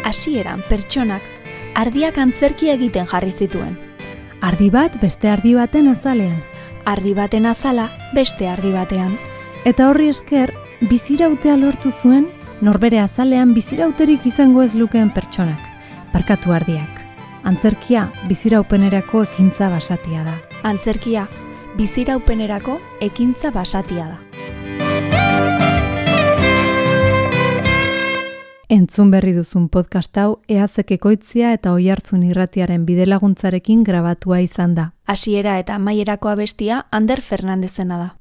Hasieran pertsonak ardiak antzerkia egiten jarri zituen. Ardi bat beste ardi baten azalean. Ardi baten azala beste ardi batean. Eta horri esker, bizirautea lortu zuen, norbere azalean bizirauterik izango ez lukeen pertsonak. Barkatu ardiak. Antzerkia biziraupenerako ekintza basatia da. Antzerkia biziraupenerako ekintza basatia da. Entzun berri duzun podcast hau Eazek Ekoitzia eta Oihartzun Irratiaren bidelaguntzarekin grabatua izan da. Hasiera eta amaierako abestia Ander Fernandezena da.